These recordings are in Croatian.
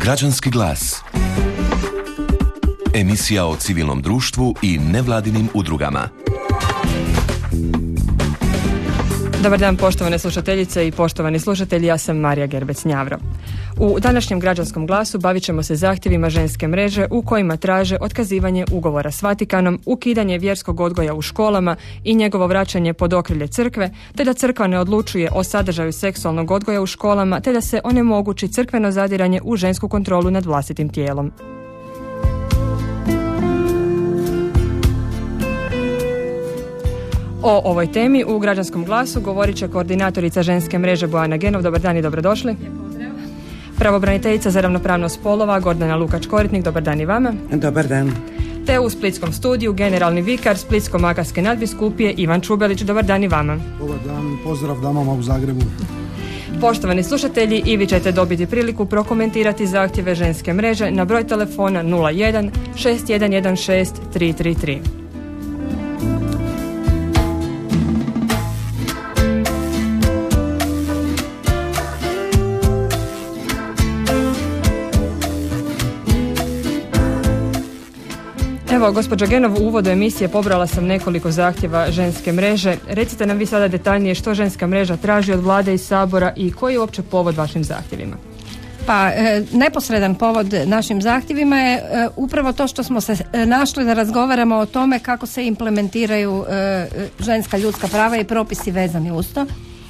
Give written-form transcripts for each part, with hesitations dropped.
Građanski glas. Emisija o civilnom društvu i nevladinim udrugama. Dobar dan, poštovane slušateljice i poštovani slušatelji, ja sam Marija Gerbec-Njavro. U današnjem građanskom glasu bavit ćemo se zahtjevima ženske mreže u kojima traže otkazivanje ugovora s Vatikanom, ukidanje vjerskog odgoja u školama i njegovo vraćanje pod okrilje crkve, te da crkva ne odlučuje o sadržaju seksualnog odgoja u školama, te da se onemogući crkveno zadiranje u žensku kontrolu nad vlastitim tijelom. O ovoj temi u građanskom glasu govorit će koordinatorica ženske mreže Bojana Genov. Dobar dan i dobrodošli. Pravobraniteljica za ravnopravnost spolova Gordana Lukač-Koritnik. Dobar dan i vama. Dobar dan. Te u splitskom studiju generalni vikar Splitsko-makarske nadbiskupije Ivan Čubelić. Dobar dan i vama. Dobar dan, pozdrav damama u Zagrebu. Poštovani slušatelji, i vi ćete dobiti priliku prokomentirati zahtjeve ženske mreže na broj telefona 01 6116 333. Evo, gospođa Genov, u uvodu emisije pobrala sam nekoliko zahtjeva ženske mreže. Recite nam vi sada detaljnije što ženska mreža traži od vlade i sabora i koji je uopće povod vašim zahtjevima? Pa, neposredan povod našim zahtjevima je upravo to što smo se našli da razgovaramo o tome kako se implementiraju ženska ljudska prava i propisi vezani uz to.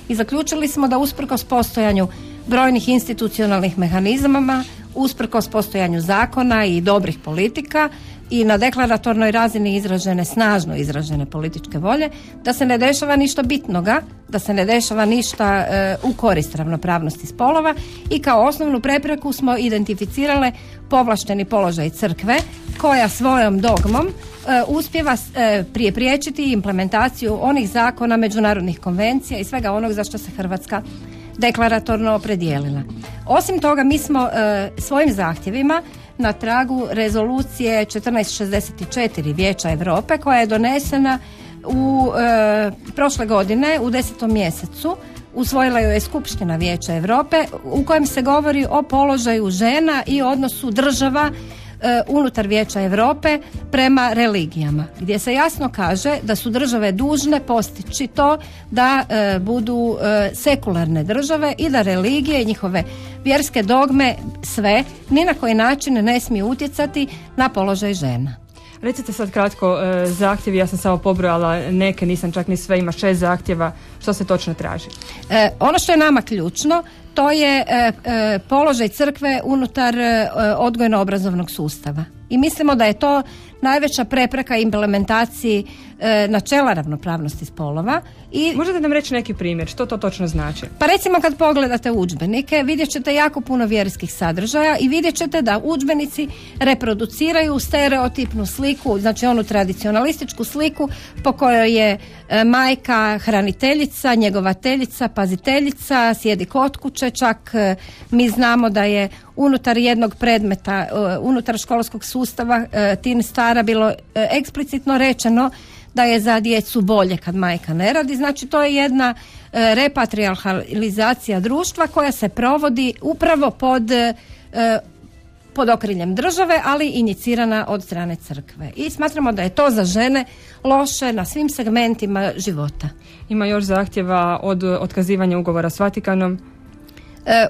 I zaključili smo da usprkos postojanju brojnih institucionalnih mehanizama, usprkos postojanju zakona i dobrih politika i na deklaratornoj razini snažno izražene političke volje, da se ne dešava ništa bitnoga, da se ne dešava ništa u korist ravnopravnosti spolova i kao osnovnu prepreku smo identificirale povlašteni položaj crkve koja svojom dogmom uspijeva priječiti implementaciju onih zakona, međunarodnih konvencija i svega onog za što se Hrvatska deklaratorno opredijelila. Osim toga, mi smo svojim zahtjevima na tragu rezolucije 1464 Vijeća Europe koja je donesena prošle godine u 10. mjesecu. Usvojila ju je Skupština Vijeća Europe u kojem se govori o položaju žena i odnosu država unutar Vijeća Europe prema religijama, gdje se jasno kaže da su države dužne postići to da budu sekularne države i da religije i njihove vjerske dogme sve ni na koji način ne smiju utjecati na položaj žena. Recite sad kratko zahtjevi, ja sam samo pobrojala neke, nisam čak ni sve, ima 6 zahtjeva, što se točno traži? Ono što je nama ključno, to je položaj crkve unutar odgojno-obrazovnog sustava. I mislimo da je to najveća prepreka implementaciji načela ravnopravnosti spolova. I možete nam reći neki primjer, što to točno znači? Pa recimo kad pogledate udžbenike, vidjet ćete jako puno vjerskih sadržaja i vidjet ćete da udžbenici reproduciraju stereotipnu sliku, znači onu tradicionalističku sliku po kojoj je majka hraniteljica, njegovateljica, paziteljica, sjedi kod kuće, čak mi znamo da je unutar jednog predmeta, unutar školskog sustava tin stara bilo eksplicitno rečeno da je za djecu bolje kad majka ne radi. Znači to je jedna repatrijarhalizacija društva koja se provodi upravo pod okriljem države, ali inicirana od strane crkve. I smatramo da je to za žene loše na svim segmentima života. Ima još zahtjeva od otkazivanja ugovora s Vatikanom?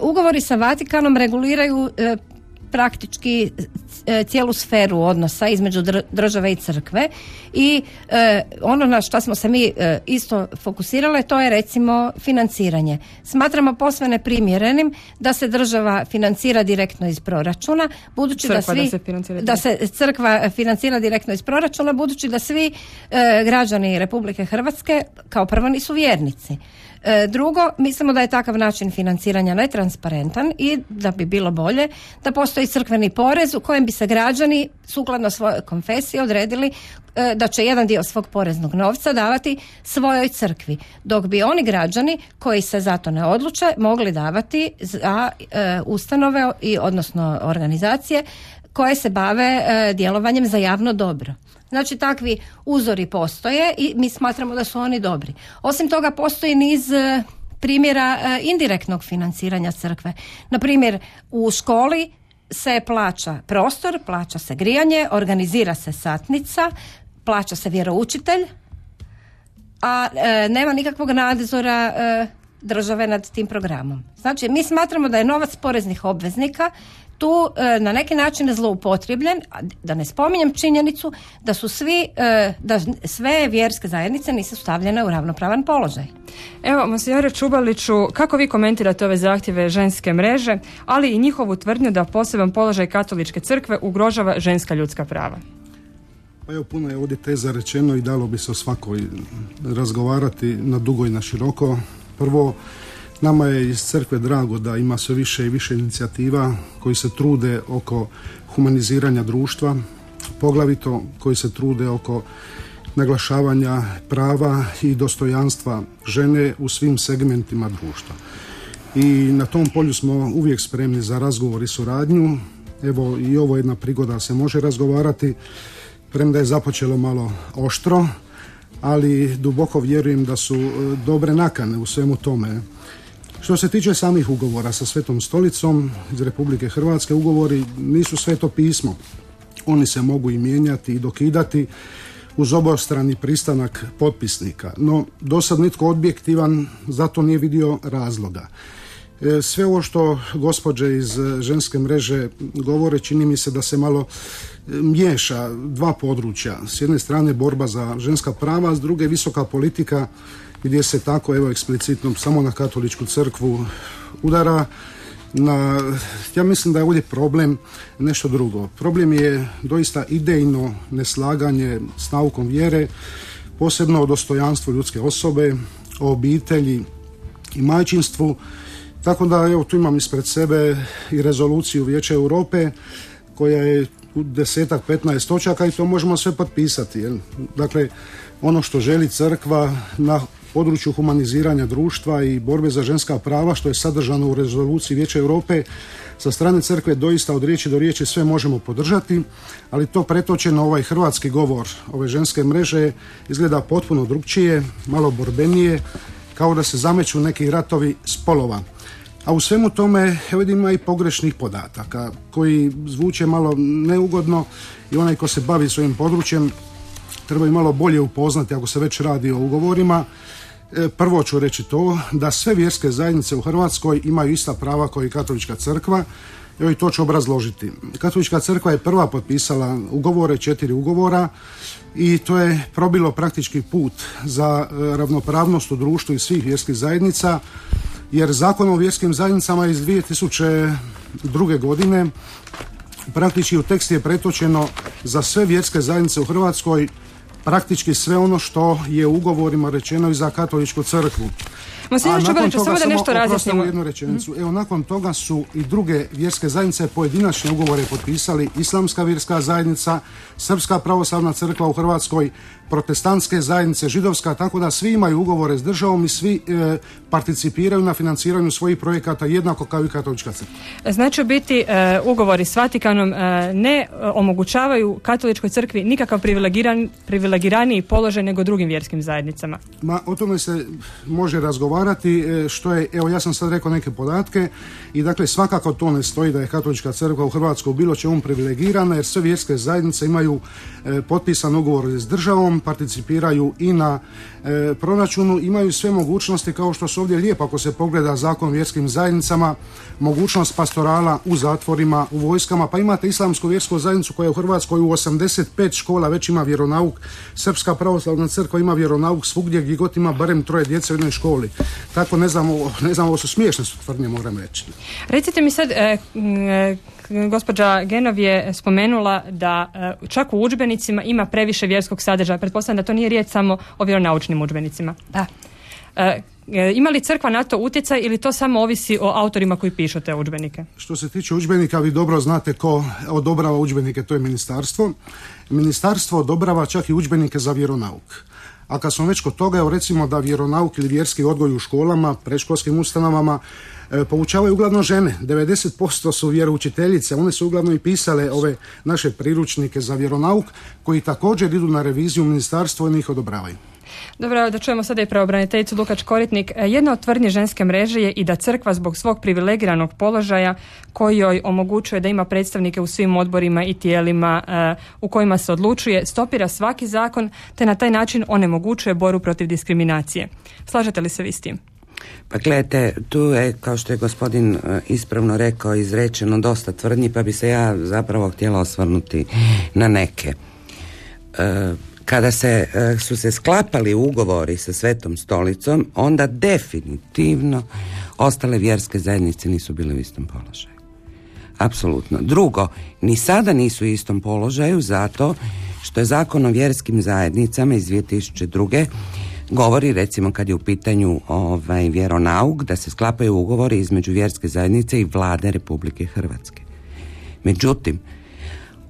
Ugovori sa Vatikanom reguliraju praktički cijelu sferu odnosa između države i crkve i ono na što smo se mi isto fokusirale, to je recimo financiranje. Smatramo posve neprimjerenim da se država financira direktno iz proračuna, budući da se crkva financira direktno iz proračuna, budući da svi građani Republike Hrvatske kao prvo nisu vjernici. Drugo, mislimo da je takav način financiranja netransparentan i da bi bilo bolje da postoji crkveni porez u kojem bi se građani sukladno svojoj konfesiji odredili da će jedan dio svog poreznog novca davati svojoj crkvi, dok bi oni građani koji se za to ne odluče mogli davati za ustanove i odnosno organizacije koje se bave djelovanjem za javno dobro. Znači takvi uzori postoje i mi smatramo da su oni dobri. Osim toga postoji niz primjera indirektnog financiranja crkve. Na primjer, u školi se plaća prostor, plaća se grijanje, organizira se satnica, plaća se vjeroučitelj, a nema nikakvog nadzora države nad tim programom. Znači, mi smatramo da je novac poreznih obveznika tu na neki način zloupotrebljen, da ne spominjem činjenicu da su da sve vjerske zajednice nisu stavljene u ravnopravan položaj. Evo, monsignore Čubaliću, kako vi komentirate ove zahtjeve ženske mreže, ali i njihovu tvrdnju da poseban položaj katoličke crkve ugrožava ženska ljudska prava? Pa evo, puno je ovdje teza rečeno i dalo bi se o svakoj razgovarati na dugo i na široko. Prvo, nama je iz crkve drago da ima sve više i više inicijativa koji se trude oko humaniziranja društva, poglavito koji se trude oko naglašavanja prava i dostojanstva žene u svim segmentima društva. I na tom polju smo uvijek spremni za razgovor i suradnju. Evo, i ovo je jedna prigoda se može razgovarati, premda je započelo malo oštro, ali duboko vjerujem da su dobre nakane u svemu tome. Što se tiče samih ugovora sa Svetom stolicom iz Republike Hrvatske, ugovori nisu sveto pismo. Oni se mogu i mijenjati i dokidati uz obostrani pristanak potpisnika. No, do sad nitko objektivan zato nije vidio razloga. Sve ovo što gospođe iz ženske mreže govore, čini mi se da se malo miješa dva područja. S jedne strane borba za ženska prava, a s druge visoka politika gdje se tako, evo, eksplicitno samo na katoličku crkvu udara. Ja mislim da je ovdje problem nešto drugo. Problem je doista idejno neslaganje s naukom vjere, posebno o dostojanstvu ljudske osobe, o obitelji i majčinstvu. Tako da, evo, tu imam ispred sebe i rezoluciju Vijeća Europe koja je u 10-15 točaka i to možemo sve potpisati. Jel? Dakle, ono što želi crkva na području humaniziranja društva i borbe za ženska prava, što je sadržano u rezoluciji Vijeća Europe, sa strane crkve doista od riječi do riječi sve možemo podržati, ali to pretočeno ovaj hrvatski govor ove ženske mreže izgleda potpuno drukčije, malo borbenije, kao da se zameću neki ratovi spolova. A u svemu tome, evo, ima i pogrešnih podataka koji zvuče malo neugodno i onaj ko se bavi svojim područjem treba i malo bolje upoznati ako se već radi o ugovorima. Prvo ću reći to da sve vjerske zajednice u Hrvatskoj imaju ista prava kao i katolička crkva. Evo, i to ću obrazložiti. Katolička crkva je prva potpisala ugovore, 4 ugovora, i to je probilo praktički put za ravnopravnost u društvu i svih vjerskih zajednica, jer Zakon o vjerskim zajednicama iz 2002. godine praktički u tekst je pretočeno za sve vjerske zajednice u Hrvatskoj praktički sve ono što je u ugovorima rečeno i za katoličku crkvu. Samo da nešto razjasnimo. Jednu rečenicu. Evo, nakon toga su i druge vjerske zajednice pojedinačne ugovore potpisali: Islamska vjerska zajednica, Srpska pravoslavna crkva u Hrvatskoj, protestantske zajednice, židovska, tako da svi imaju ugovore s državom i svi participiraju na financiranju svojih projekata jednako kao i katolička crkva. Znači, biti ugovori s Vatikanom ne omogućavaju katoličkoj crkvi nikakav privilegiraniji položaj nego drugim vjerskim zajednicama. O tome se može razgovarati, što je, evo, ja sam sad rekao neke podatke i dakle svakako to ne stoji da je katolička crkva u Hrvatskoj bilo čemu privilegirana, jer sve vjerske zajednice imaju potpisan ugovor s državom, participiraju i na proračunu, imaju sve mogućnosti kao što su ovdje lijepo, ako se pogleda Zakon o vjerskim zajednicama, mogućnost pastorala u zatvorima, u vojskama, pa imate Islamsku vjersku zajednicu koja u Hrvatskoj u 85 škola već ima vjeronauk, Srpska pravoslavna crkva ima vjeronauk svugdje gdje god ima barem 3 djece u jednoj školi. Tako ne znam, ovo su smiješne tvrdnje, moram reći. Recite mi sad, gospođa Genov je spomenula da čak u udžbenicima ima previše vjerskog sadržaja. Pretpostavljam da to nije riječ samo o vjeronaučnim udžbenicima. Da. Ima li crkva na to utjecaj ili to samo ovisi o autorima koji pišu te udžbenike? Što se tiče udžbenika, vi dobro znate ko odobrava udžbenike, to je ministarstvo. Ministarstvo odobrava čak i udžbenike za vjeronauk. A kad smo već kod toga, evo, recimo da vjeronauk ili vjerski odgoj u školama, predškolskim ustanovama poučavaju uglavnom žene. 90% su vjeroučiteljice, one su uglavnom i pisale ove naše priručnike za vjeronauk koji također idu na reviziju u ministarstvo i njih odobravaju. Dobro, da čujemo sada i pravobraniteljicu Lukač Koritnik. Jedna od tvrdnji ženske mreže je i da crkva zbog svog privilegiranog položaja koji joj omogućuje da ima predstavnike u svim odborima i tijelima u kojima se odlučuje, stopira svaki zakon te na taj način onemogućuje borbu protiv diskriminacije. Slažete li se vi s tim? Pa gledajte, tu je, kao što je gospodin ispravno rekao, izrečeno dosta tvrdnji, pa bi se ja zapravo htjela osvrnuti na neke. Kada su se sklapali ugovori sa Svetom stolicom, onda definitivno ostale vjerske zajednice nisu bile u istom položaju. Apsolutno. Drugo, ni sada nisu u istom položaju zato što je Zakon o vjerskim zajednicama iz 2002. govori, recimo kad je u pitanju vjeronauk, da se sklapaju ugovori između vjerske zajednice i Vlade Republike Hrvatske. Međutim,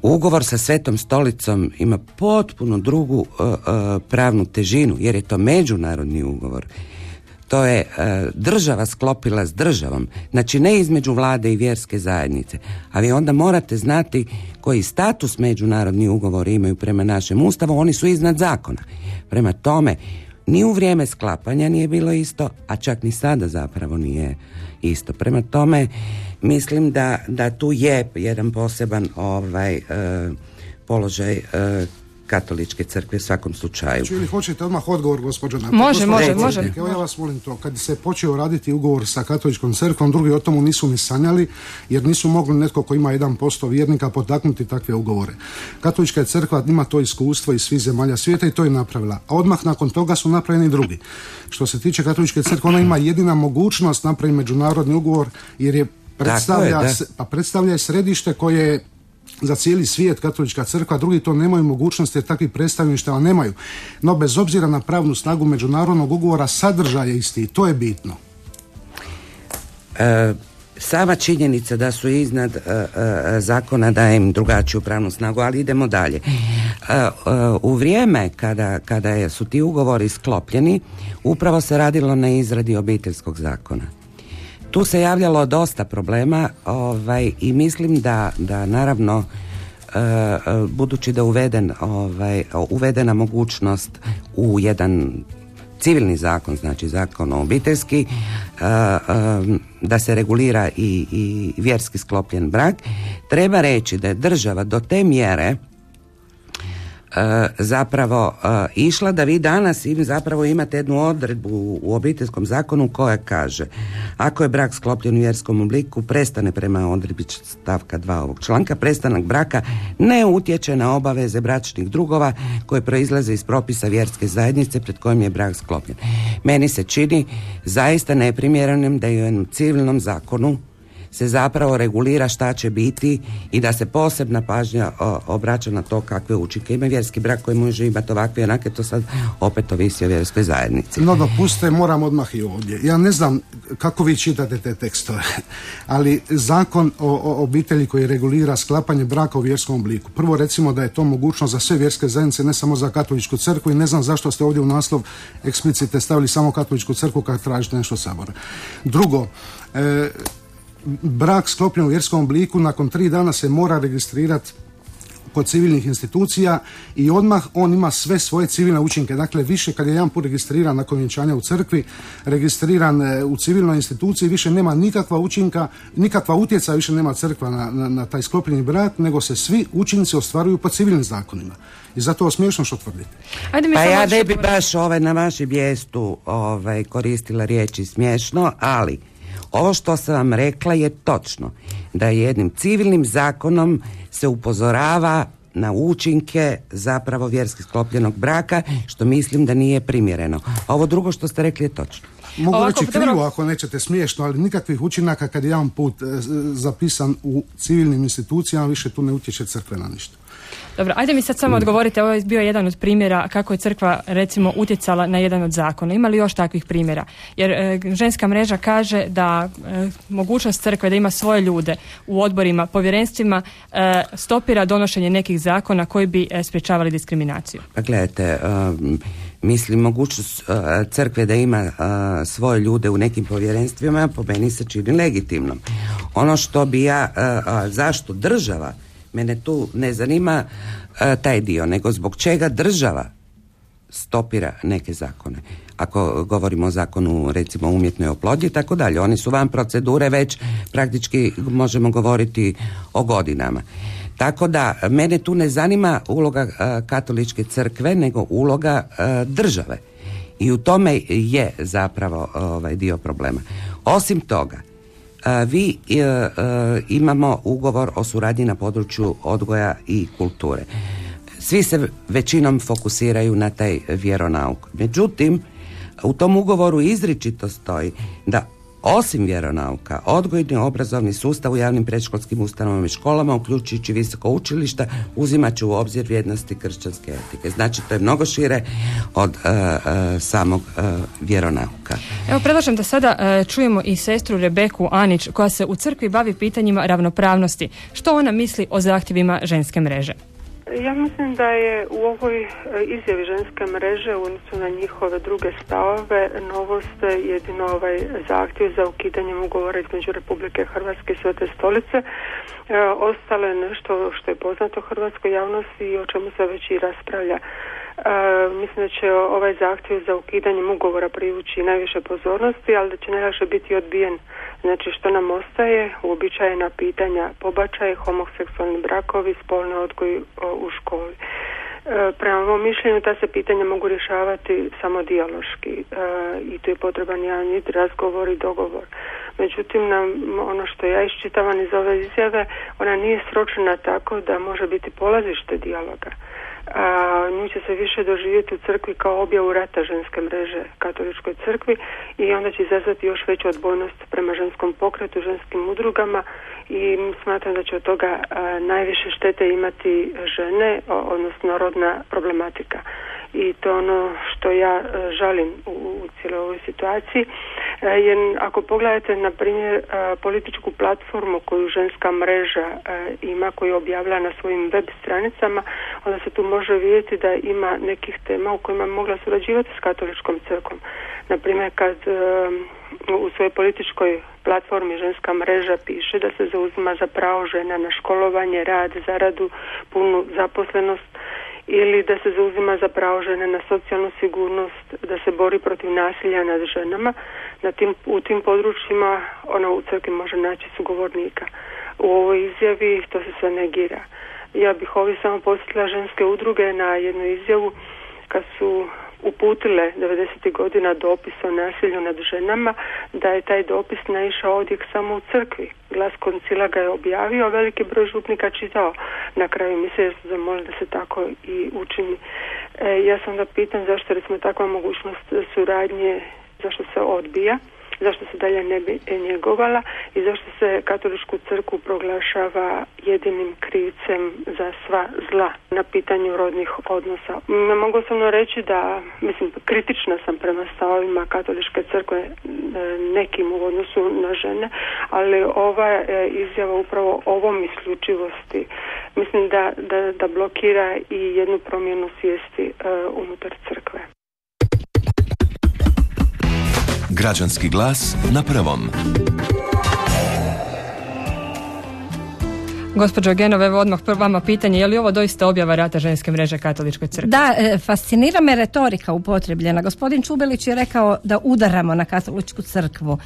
ugovor sa Svetom stolicom ima potpuno drugu pravnu težinu, jer je to međunarodni ugovor. To je država sklopila s državom, znači ne između Vlade i vjerske zajednice, ali onda morate znati koji status međunarodni ugovori imaju prema našem Ustavu, oni su iznad zakona. Prema tome, ni u vrijeme sklapanja nije bilo isto, a čak ni sada zapravo nije isto. Prema tome, mislim da tu je jedan poseban položaj katoličke crkve u svakom slučaju. Ili hoćete odmah odgovor, gospođo? Može. Evo ja vas molim to. Kad se počeo raditi ugovor sa katoličkom crkvom, drugi o tomu nisu ni sanjali, jer nisu mogli netko ko ima 1% vjernika potaknuti takve ugovore. Katolička crkva ima to iskustvo iz svih zemalja svijeta i to je napravila. A odmah nakon toga su napravljeni drugi. Što se tiče katoličke crkve, ona ima jedina mogućnost napraviti međunarodni ugovor, jer je predstavlja središte koje je za cijeli svijet katolička crkva, drugi to nemaju mogućnosti jer takvih predstavništava nemaju. No bez obzira na pravnu snagu međunarodnog ugovora, sadržaj je isti i to je bitno. Sama činjenica da su iznad zakona daje im drugačiju pravnu snagu, ali idemo dalje. U vrijeme kada su ti ugovori sklopljeni, upravo se radilo na izradi obiteljskog zakona. Tu se javljalo dosta problema i mislim da naravno budući da uvedena mogućnost u jedan civilni zakon, znači zakon obiteljski, da se regulira i vjerski sklopljen brak, treba reći da je država do te mjere zapravo išla da vi danas zapravo imate jednu odredbu u obiteljskom zakonu koja kaže: ako je brak sklopljen u vjerskom obliku, prestane prema odredbi stavka 2 ovog članka, prestanak braka ne utječe na obaveze bračnih drugova koje proizlaze iz propisa vjerske zajednice pred kojim je brak sklopljen. Meni se čini zaista neprimjerenim da i u jednom civilnom zakonu se zapravo regulira šta će biti i da se posebna pažnja obraća na to kakve učinke ima vjerski brak koji može imati ovakve i onake, to sad opet ovisi o vjerskoj zajednici. No dopustite, moram odmah i ovdje. Ja ne znam kako vi čitate te tekstove, ali zakon o obitelji koji regulira sklapanje braka u vjerskom obliku. Prvo recimo da je to mogućnost za sve vjerske zajednice, ne samo za katoličku crkvu, i ne znam zašto ste ovdje u naslov eksplicite stavili samo katoličku crkvu kad tražite nešto od Sabora. Drugo, brak sklopljen u vjerskom obliku nakon 3 dana se mora registrirati kod civilnih institucija i odmah on ima sve svoje civilne učinke. Dakle, više kad je jedan put registriran nakon vjenčanja u crkvi, registriran u civilnoj instituciji, više nema nikakva učinka, nikakva utjecaja više nema crkva na taj sklopljeni brak, nego se svi učinci ostvaruju po civilnim zakonima. I zato je smiješno što tvrdite. Pa ja ne bi baš na vašem mjestu koristila riječi smiješno, ali ovo što sam vam rekla je točno, da jednim civilnim zakonom se upozorava na učinke zapravo vjerski sklopljenog braka, što mislim da nije primjereno. A ovo drugo što ste rekli je točno. Mogu reći krivo ako nećete smiješno, ali nikakvih učinaka kad je jedan put zapisan u civilnim institucijama, više tu ne utječe crkve na ništa. Dobro, ajde mi sad samo odgovorite, ovo je bio jedan od primjera kako je crkva recimo utjecala na jedan od zakona. Ima li još takvih primjera? Jer ženska mreža kaže da mogućnost crkve da ima svoje ljude u odborima, povjerenstvima stopira donošenje nekih zakona koji bi sprječavali diskriminaciju. Pa gledajte, mislim mogućnost crkve da ima svoje ljude u nekim povjerenstvima po meni se čini legitimnom. Ono što bi zašto država, mene tu ne zanima taj dio, nego zbog čega država stopira neke zakone. Ako govorimo o zakonu recimo umjetnoj oplodnji i tako dalje, oni su van procedure već praktički možemo govoriti o godinama. Tako da mene tu ne zanima uloga katoličke crkve nego uloga države. I u tome je zapravo dio problema. Osim toga, imamo ugovor o suradnji na području odgoja i kulture. Svi se većinom fokusiraju na taj vjeronauk. Međutim, u tom ugovoru izričito stoji da osim vjeronauka, odgojni obrazovni sustav u javnim predškolskim ustanovama i školama, uključujući visoko učilišta, uzimat će u obzir vrijednosti kršćanske etike. Znači, to je mnogo šire od samog vjeronauka. Evo, predlažem da sada čujemo i sestru Rebeku Anić, koja se u crkvi bavi pitanjima ravnopravnosti. Što ona misli o zahtjevima ženske mreže? Ja mislim da je u ovoj izjavi ženske mreže u odnosu na njihove druge stavove novost jedino ovaj zahtjev za ukidanjem ugovora između Republike Hrvatske i Svete Stolice. Ostalo je nešto što je poznato hrvatskoj javnosti i o čemu se već i raspravlja. Mislim da će ovaj zahtjev za ukidanjem ugovora privući najviše pozornosti, ali da će najviše biti odbijen. Znači, što nam ostaje? Uobičajena pitanja: pobačaj, homoseksualni brakovi, spolni odgoj u školi. Prema mom mišljenju ta se pitanja mogu rješavati samo dijaloški i tu je potreban jedan razgovor i dogovor. Međutim, ono što ja iščitavam iz ove izjave, ona nije sročena tako da može biti polazište dijaloga. Nju će se više doživjeti u crkvi kao objavu rata ženske mreže katoličkoj crkvi i onda će izazvati još veću odbojnost prema ženskom pokretu, ženskim udrugama i smatram da će od toga najviše štete imati žene, odnosno rodna problematika. I to je ono što ja žalim u cijeloj ovoj situaciji. Jer ako pogledate, na primjer, političku platformu koju ženska mreža ima, koju objavlja na svojim web stranicama, onda se tu može vidjeti da ima nekih tema u kojima je mogla surađivati s katoličkom crkvom. Na primjer, kad u svojoj političkoj platformi ženska mreža piše da se zauzima za pravo žena na školovanje, rad, zaradu, punu zaposlenost, ili da se zauzima za pravo žene na socijalnu sigurnost, da se bori protiv nasilja nad ženama. U tim područjima ona u crkvi može naći sugovornika. U ovoj izjavi to se sve negira. Ja bih ovdje samo podsjetila ženske udruge na jednu izjavu kad su uputile 90. godina dopis o nasilju nad ženama, da je taj dopis naišao odjek samo u crkvi. Glas koncila ga je objavio, a veliki broj župnika čitao. Na kraju misle su zamolili da se tako i učini. Ja sam da pitam zašto recimo takva mogućnost suradnje, zašto se odbija, zašto se dalje ne bi njegovala i zašto se katoličku crkvu proglašava jedinim krivcem za sva zla na pitanju rodnih odnosa. Ne mogu samo reći da, kritična sam prema stavovima katoličke crkve nekim u odnosu na žene, ali ova izjava upravo ovom isključivosti mislim da blokira i jednu promjenu svijesti unutar crkve. Građanski glas na prvom. Gospođo Genov, evo odmah vama pitanje, je li ovo doista objava rata ženske mreže katoličkoj crkvi? Da, fascinira me retorika upotrebljena. Gospodin Čubelić je rekao da udaramo na katoličku crkvu.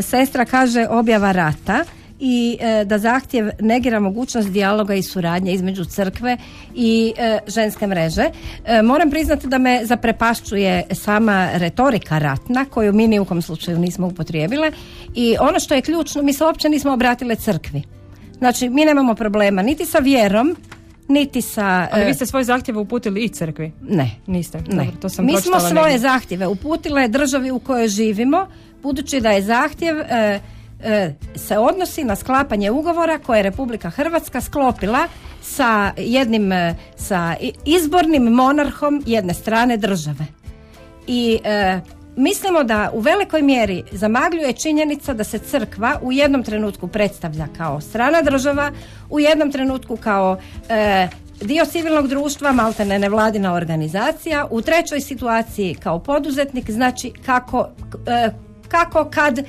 Sestra kaže objava rata i da zahtjev negira mogućnost dijaloga i suradnje između crkve i ženske mreže. Moram priznati da me zaprepašćuje sama retorika ratna, koju mi ni u kom slučaju nismo upotrijebile, i ono što je ključno, mi se uopće nismo obratile crkvi. Znači, mi nemamo problema niti sa vjerom, niti sa... Ali vi ste svoje zahtjeve uputili i crkvi? Ne. Niste? Ne. Dobro, to sam mi smo svoje negdje. zahtjeve uputile državi u kojoj živimo, budući da je zahtjev se odnosi na sklapanje ugovora koje je Republika Hrvatska sklopila sa izbornim monarhom jedne strane države. I mislimo da u velikoj mjeri zamagljuje činjenica da se crkva u jednom trenutku predstavlja kao strana država, u jednom trenutku kao dio civilnog društva, maltene nevladina organizacija, u trećoj situaciji kao poduzetnik, znači kako kad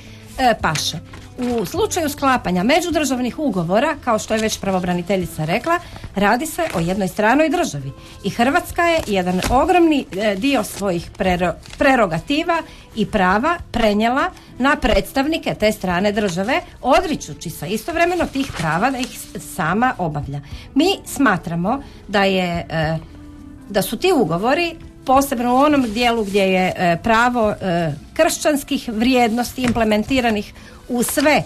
paše. u slučaju sklapanja međudržavnih ugovora, kao što je već pravobraniteljica rekla, radi se o jednoj stranoj državi. I Hrvatska je jedan ogromni dio svojih prerogativa i prava prenijela na predstavnike te strane države, odričući se istovremeno tih prava da ih sama obavlja. Mi smatramo da su ti ugovori, posebno u onom dijelu gdje je pravo kršćanskih vrijednosti implementiranih u sve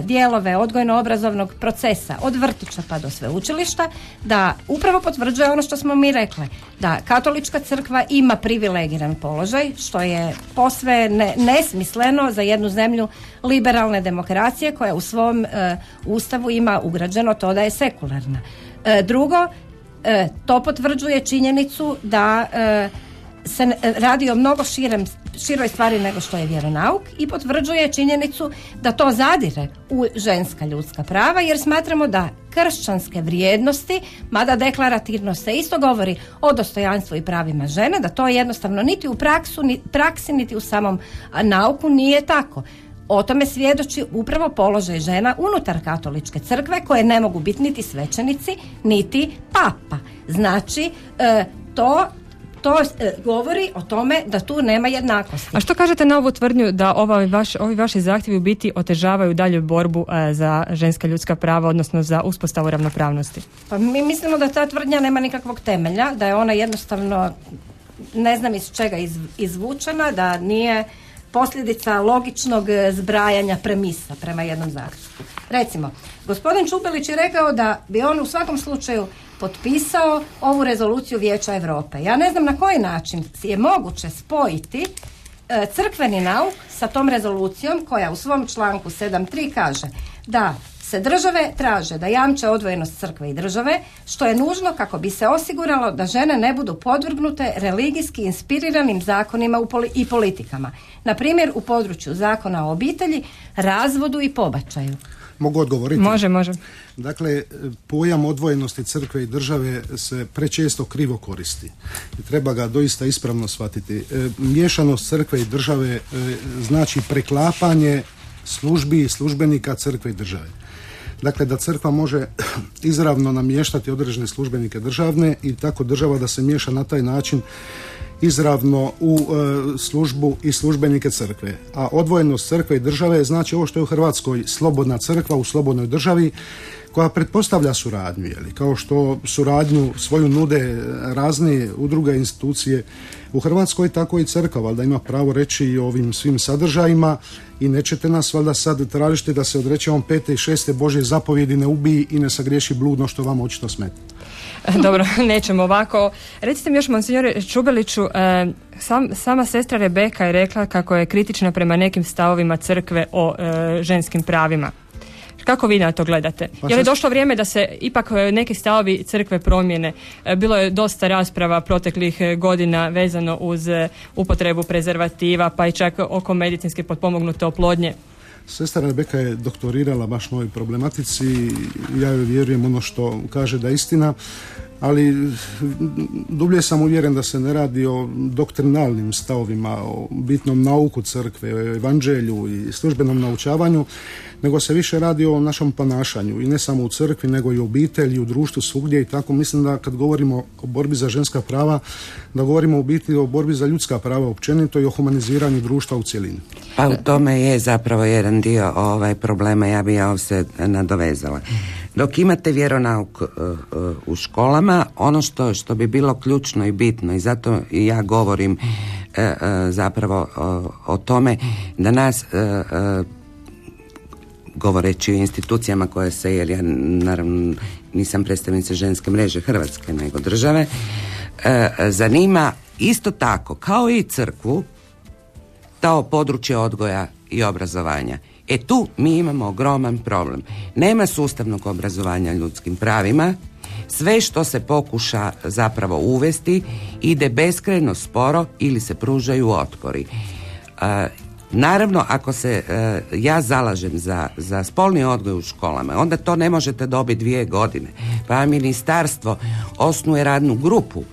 dijelove odgojno-obrazovnog procesa, od vrtića pa do sveučilišta, da upravo potvrđuje ono što smo mi rekli, da katolička crkva ima privilegiran položaj, što je posve nesmisleno za jednu zemlju liberalne demokracije koja u svom ustavu ima ugrađeno to da je sekularna. Drugo, to potvrđuje činjenicu da se radi o mnogo široj stvari nego što je vjeronauk i potvrđuje činjenicu da to zadire u ženska ljudska prava, jer smatramo da kršćanske vrijednosti, mada deklarativno se isto govori o dostojanstvu i pravima žene, da to jednostavno niti u praksi niti u samom nauku nije tako. O tome svjedoči upravo položaj žena unutar katoličke crkve, koje ne mogu biti niti svećenici, niti papa. Znači, to govori o tome da tu nema jednakosti. A što kažete na ovu tvrdnju da ovi vaši zahtjevi u biti otežavaju dalje borbu za ženska ljudska prava, odnosno za uspostavu ravnopravnosti? Pa mi mislimo da ta tvrdnja nema nikakvog temelja, da je ona jednostavno, ne znam iz čega izvučena, da nije posljedica logičnog zbrajanja premisa prema jednom zahtjevu. Recimo, gospodin Čubelić je rekao da bi on u svakom slučaju potpisao ovu rezoluciju Vijeća Europe. Ja ne znam na koji način je moguće spojiti crkveni nauk sa tom rezolucijom koja u svom članku 7.3 kaže da se države traže da jamče odvojenost crkve i države, što je nužno kako bi se osiguralo da žene ne budu podvrgnute religijski inspiriranim zakonima i politikama. Na primjer, u području zakona o obitelji, razvodu i pobačaju. Mogu odgovoriti? Može. Dakle, pojam odvojenosti crkve i države se prečesto krivo koristi. I treba ga doista ispravno shvatiti. Miješanost crkve i države znači preklapanje službi i službenika crkve i države. Dakle, da crkva može izravno namještati određene službenike državne i tako država da se miješa na taj način izravno u službu i službenike crkve. A odvojenost crkve i države znači ovo što je u Hrvatskoj slobodna crkva u slobodnoj državi, koja pretpostavlja suradnju, kao što suradnju svoju nude razne udruge i institucije u Hrvatskoj, tako i crkva valjda ima pravo reći i o ovim svim sadržajima i nećete nas valjda sad tražiti da se odrećemo 5. i 6. Božje zapovjedi ne ubiji i ne sagriješi bludno, što vam očito smeta. Dobro, nećemo ovako. Recite mi još, monsignore Čubeliću, sama sestra Rebeka je rekla kako je kritična prema nekim stavovima crkve o ženskim pravima. Kako vi na to gledate? Je li došlo vrijeme da se ipak neki stavovi crkve promijene? Bilo je dosta rasprava proteklih godina vezano uz upotrebu prezervativa, pa i čak oko medicinske potpomognute oplodnje. Sestra Rebeka je doktorirala baš na ovoj problematici, ja joj vjerujem ono što kaže da je istina, ali dublje sam uvjeren da se ne radi o doktrinalnim stavovima, o bitnom nauku crkve, o evanđelju i službenom naučavanju, nego se više radi o našem ponašanju i ne samo u crkvi, nego i u obitelji, u društvu, svugdje i tako. Mislim da kad govorimo o borbi za ženska prava, da govorimo u biti o borbi za ljudska prava općenito i o humaniziranju društva u cjelini. Pa u tome je zapravo jedan dio problema, ja bi se nadovezala. Dok imate vjeronauk u školama, ono što bi bilo ključno i bitno, i zato i ja govorim zapravo o tome da nas govoreći o institucijama koje se, jer ja naravno nisam predstavnica ženske mreže Hrvatske nego države, zanima isto tako kao i crkvu to područje odgoja i obrazovanja. Tu mi imamo ogroman problem. Nema sustavnog obrazovanja ljudskim pravima, sve što se pokuša zapravo uvesti ide beskrajno sporo ili se pružaju otpori. Naravno, ako se ja zalažem za spolni odgoj u školama, onda to ne možete dobiti 2 godine. Pa ministarstvo osnuje radnu grupu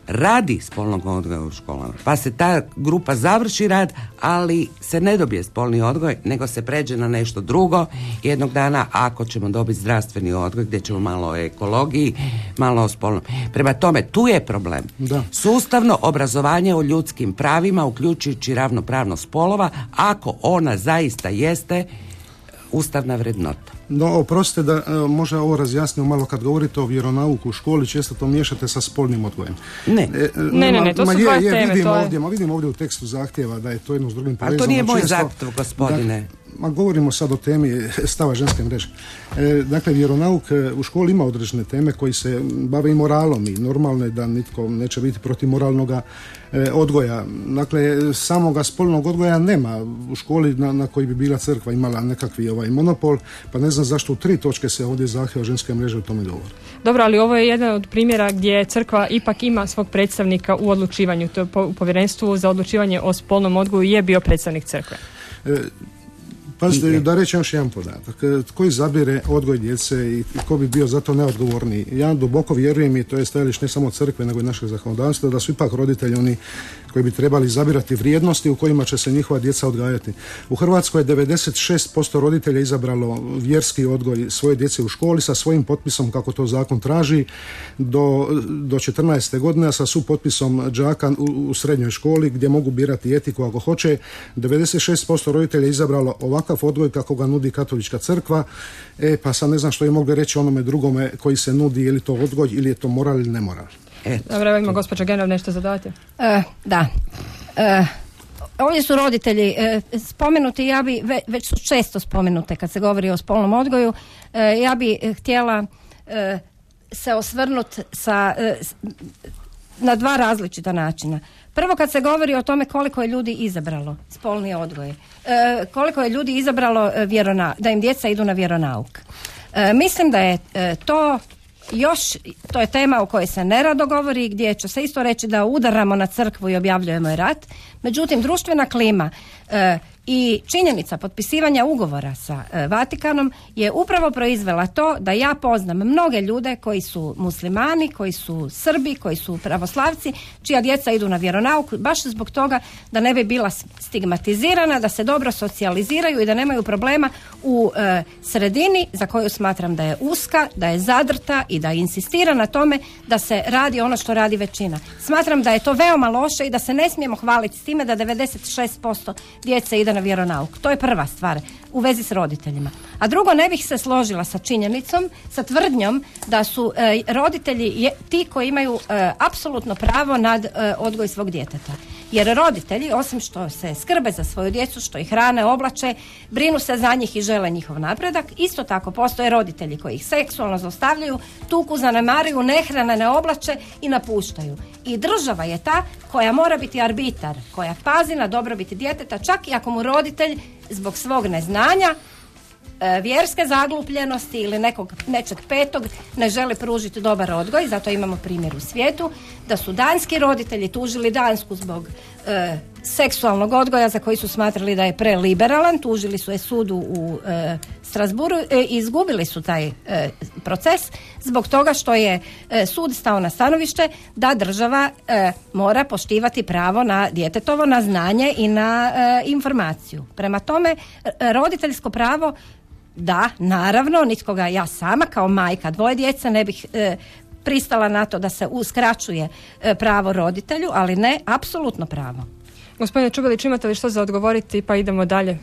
radi spolnog odgoja u školama. Pa se ta grupa završi rad, ali se ne dobije spolni odgoj, nego se pređe na nešto drugo. Jednog dana, ako ćemo dobiti zdravstveni odgoj, gdje ćemo malo o ekologiji, malo o spolnom. Prema tome, tu je problem. Da. Sustavno obrazovanje o ljudskim pravima, uključujući ravnopravnost spolova, ako ona zaista jeste ustavna vrednota. No, oprostite da možda ovo razjasnimo malo, kad govorite o vjeronauku u školi, često to miješate sa spolnim odgojem. Ne, to su dvije teme. Vidimo ovdje u tekstu zahtjeva da je to jedno s drugim povezano. Ali to nije moj zahtjev, gospodine. Govorimo sad o temi stava ženske mreže. Dakle, vjeronauk u školi ima određene teme koji se bave i moralom, i normalno je da nitko neće biti protiv moralnoga odgoja. Dakle, samoga spolnog odgoja nema u školi na koji bi bila crkva imala nekakvi monopol, pa ne znam zašto u 3 točke se ovdje zahtjeva ženske mreže o tome govori. Dobro, ali ovo je jedan od primjera gdje crkva ipak ima svog predstavnika u odlučivanju. To je u povjerenstvu za odlučivanje o spolnom odgoju je bio predstavnik crkve. Pazite, da reći još jedan podatak. Tko izabire odgoj djece i tko bi bio za to neodgovorniji? Ja duboko vjerujem, i to je stajalište ne samo crkve nego i našeg zakonodavstva, da su ipak roditelji oni koji bi trebali izabirati vrijednosti u kojima će se njihova djeca odgajati. U Hrvatskoj je 96% roditelja izabralo vjerski odgoj svoje djece u školi sa svojim potpisom, kako to zakon traži, do 14. godine, a sa supotpisom đaka u srednjoj školi gdje mogu birati etiku ako hoće. 96% roditelja je izabralo ovakav odgoj kako ga nudi katolička crkva. Pa sad ne znam što je mogli reći onome drugome koji se nudi, je li to odgoj ili je to moral ili nemoral. Dobro, evo ima gospođa Genov nešto zadati. Da. Ovdje su roditelji spomenuti, ja bi, već su često spomenute kad se govori o spolnom odgoju, ja bi htjela se osvrnuti na 2 različita načina. Prvo, kad se govori o tome koliko je ljudi izabralo spolni odgoj, koliko je ljudi izabralo da im djeca idu na vjeronauk. Mislim da je to je tema o kojoj se nerado govori, gdje će se isto reći da udaramo na crkvu i objavljujemo je rat. Međutim, društvena klima i činjenica potpisivanja ugovora sa Vatikanom je upravo proizvela to da ja poznam mnoge ljude koji su muslimani, koji su Srbi, koji su pravoslavci, čija djeca idu na vjeronauk baš zbog toga da ne bi bila stigmatizirana, da se dobro socijaliziraju i da nemaju problema u sredini za koju smatram da je uska, da je zadrta i da insistira na tome da se radi ono što radi većina. Smatram da je to veoma loše i da se ne smijemo hvaliti s time da 96% djece ide na vjeronauk. To je prva stvar u vezi s roditeljima. A drugo, ne bih se složila sa činjenicom, sa tvrdnjom da su roditelji ti koji imaju apsolutno pravo nad odgoj svog djeteta. Jer roditelji, osim što se skrbe za svoju djecu, što ih hrane, oblače, brinu se za njih i žele njihov napredak, isto tako postoje roditelji koji ih seksualno zlostavljaju, tuku, zanemaruju, ne hrane, ne oblače i napuštaju. I država je ta koja mora biti arbitar, koja pazi na dobrobit djeteta, čak i ako mu roditelj zbog svog neznanja, vjerske zaglupljenosti ili nečeg petog ne žele pružiti dobar odgoj. Zato imamo primjer u svijetu da su danski roditelji tužili Dansku zbog seksualnog odgoja za koji su smatrali da je preliberalan. Tužili su je sudu u Strasburu i izgubili su taj proces zbog toga što je sud stao na stanovište da država mora poštivati pravo na djetetovo, na znanje i na informaciju. Prema tome, roditeljsko pravo, da, naravno, nitko ga ja sama kao majka 2 djece ne bih pristala na to da se uskraćuje pravo roditelju, ali ne apsolutno pravo. Gospodine Čubelić, imate li što za odgovoriti, pa idemo dalje?